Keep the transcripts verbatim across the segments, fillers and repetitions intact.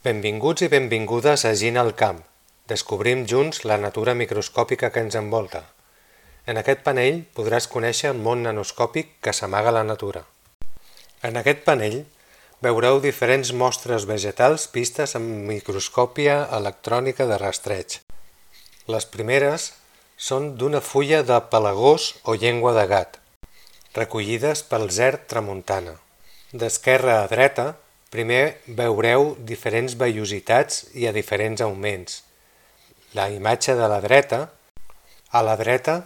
Benvinguts i benvingudes a Gina al camp. Descobrim junts la natura microscòpica que ens envolta. En aquest panell podràs conèixer el món nanoscòpic que s'amaga a la natura. En aquest panell veureu diferents mostres vegetals vistes amb microscòpia electrònica de rastreig. Les primeres són d'una fulla de pelagós o llengua de gat, recollides pel Zerd tramuntana. D'esquerra a dreta, primer veureu diferents vellositats i a diferents augments. La imatge de la dreta, a la dreta,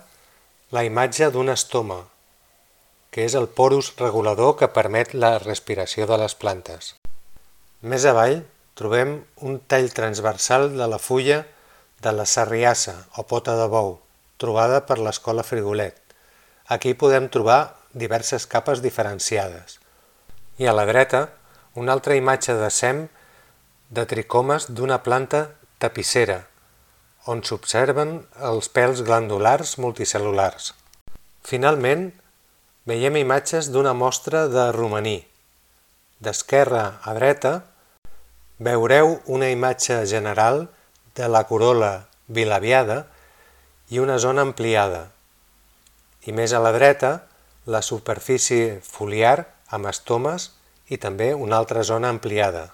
la imatge d'un estoma, que és el porus regulador que permet la respiració de les plantes. Més avall trobem un tall transversal de la fulla de la sarriassa o pota de bou, trobada per l'escola Frigolet. Aquí podem trobar diverses capes diferenciades. I a la dreta, una altra imatge de sem de tricomes d'una planta tapissera, on s'observen els pèls glandulars multicel·lulars. Finalment, veiem imatges d'una mostra de romaní. D'esquerra a dreta, veureu una imatge general de la corol·la bilabiada i una zona ampliada. I més a la dreta, la superfície foliar amb estomes i també una altra zona ampliada.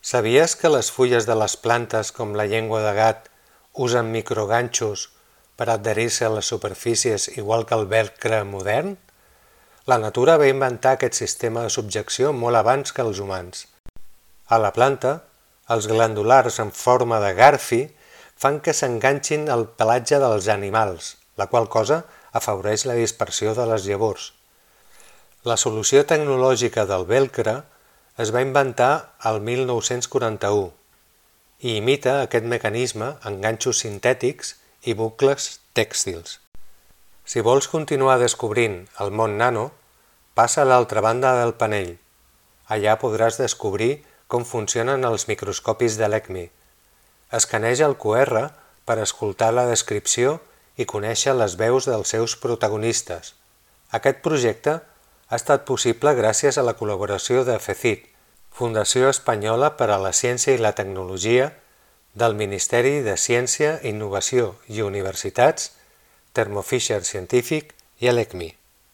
Sabies que les fulles de les plantes com la llengua de gat usen microganxos per adherir-se a les superfícies igual que el velcre modern? La natura va inventar aquest sistema de subjecció molt abans que els humans. A la planta, els glandulars en forma de garfi fan que s'enganxin al pelatge dels animals, la qual cosa afavoreix la dispersió de les llavors. La solució tecnològica del velcre es va inventar el mil nou-cents quaranta-u i imita aquest mecanisme en ganxos sintètics i bucles tèxtils. Si vols continuar descobrint el món nano, passa a l'altra banda del panell. Allà podràs descobrir com funcionen els microscopis de l'E C M I. Escaneja el cu erre per escoltar la descripció i conèixer les veus dels seus protagonistes. Aquest projecte ha estat possible gràcies a la col·laboració de FECIT, Fundació Espanyola per a la Ciència i la Tecnologia, del Ministeri de Ciència, Innovació i Universitats, Thermo Fisher Scientific i l'E C M I.